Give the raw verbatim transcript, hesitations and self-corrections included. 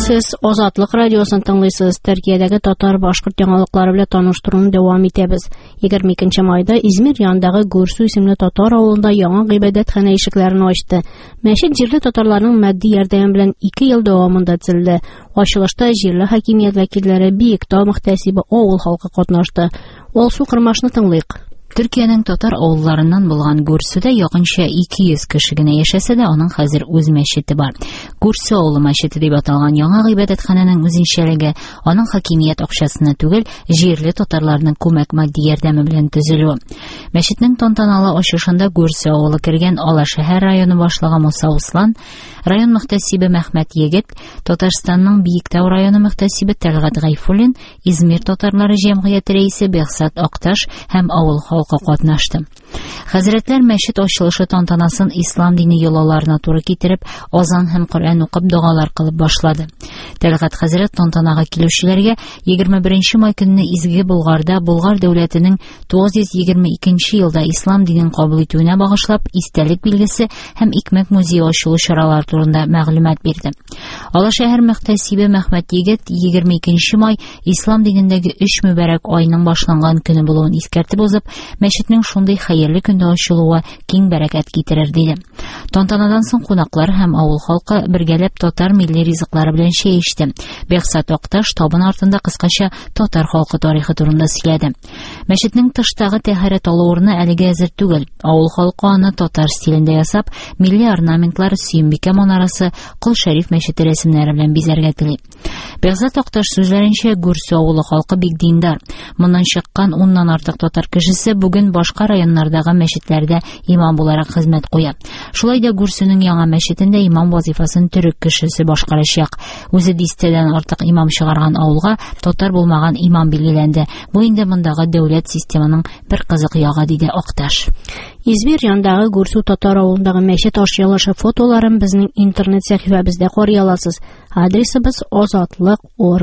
Сез Азатлык радиосын тыңлыйсыз. Төркиядәге татар-башкорт яңалыклары белән таныштыруны дәвам итәбез. егерме икенче майда Измир янындагы Гөрсү исемле татар авылында яңа гыйбадәтханә ишекләрен ачты. Мәчет җирле татарларның матди ярдәме белән ике ел дәвамында төзелде. Ачылышта җирле хакимият вәкилләре, Биектау мөхтәсибе, авыл халкы катнашты. Алсу Кырмашны тыңлыйк. Төркиянең татар авылларыннан булган Гөрсүдә якынча ике йөз кеше генә яшәсә дә, аның хәзер үз мәчете бар. Гөрсү авылы мәчете дип аталган яңа гыйбадәтханәнең үзенчәлеге аның хакимият акчасына түгел, җирле татарларның күмәк матди ярдәме белән төзелүе. Мәчетнең тантаналы ачышында Гөрсү авылы кергән Алашәһәр районы башлыгы Муса Услан, район мөхтәсибе Мәхмәт Егет, Татарстанның Биектау районы мөхтәсибе Тәлгать Гайфуллин, Измир татарлары җәмгыяте рәисе Бехзат Акташ һәм авыл халкы катнашты. Хәзрәтләр мәчет ачылышы тантанасын ислам дине йолаларына туры китереп, азан һәм Коръән укып догалар кылып башлады. Тәлгать хәзрәт тантанага килүчеләргә егерме беренче май көнне Изге Болгарда Болгар дәүләтенең тугыз йөз егерме икенче елда ислам динен кабул итүенә багышлап истәлек билгесе һәм икмәк музее ачылу чаралары турында мәгълүмат бирде. Алашәһәр мөхтәсибе Мәхмәт Егет егерме икенче май ислам динендәге өч мөбарәк айның башланган көне булуын искәртеп узып, мәчетнең шундый хәерле көндә ачылуы киң бәрәкәт китерер диде. Тантанадан соң кунаклар һәм авыл халкы бергәләп татар милли ризыклары белән чәй эчте. Бехзат Акташ табын артында кыскача татар халкы тарихы турында сөйләде. Мәчетнең тыштагы тәһарәт алу урыны әлегә әзер түгел. Авыл халкы аны татар стилендә ясап, милли орнаментлар, Сөембикә манарасы, Кол Шәриф мәчете рәсемнәре белән бизәргә тели. Бехзат Акташ сүзләренчә, Гөрсү авылы халкы бик диндар. Моннан чыккан уннан артык татар кешесе бүген башка районнардагы мәчетләрдә имам буларак хезмәт куя. Шулай да Гөрсүнең яңа мәчетендә имам вазифасын төрек кешесе башкарачак. Үзе дистәдән артык имам чыгарган авылга татар булмаган имам билгеләнде. Бу инде мондагы дәүләт системаның бер кызык ягы, диде Акташ. Измир янындагы Гөрсү татар авылындагы мәчет ачылышы фотоларын безнең интернет сәхифәбездә карый аласыз. Адресыбыз азатлык орг.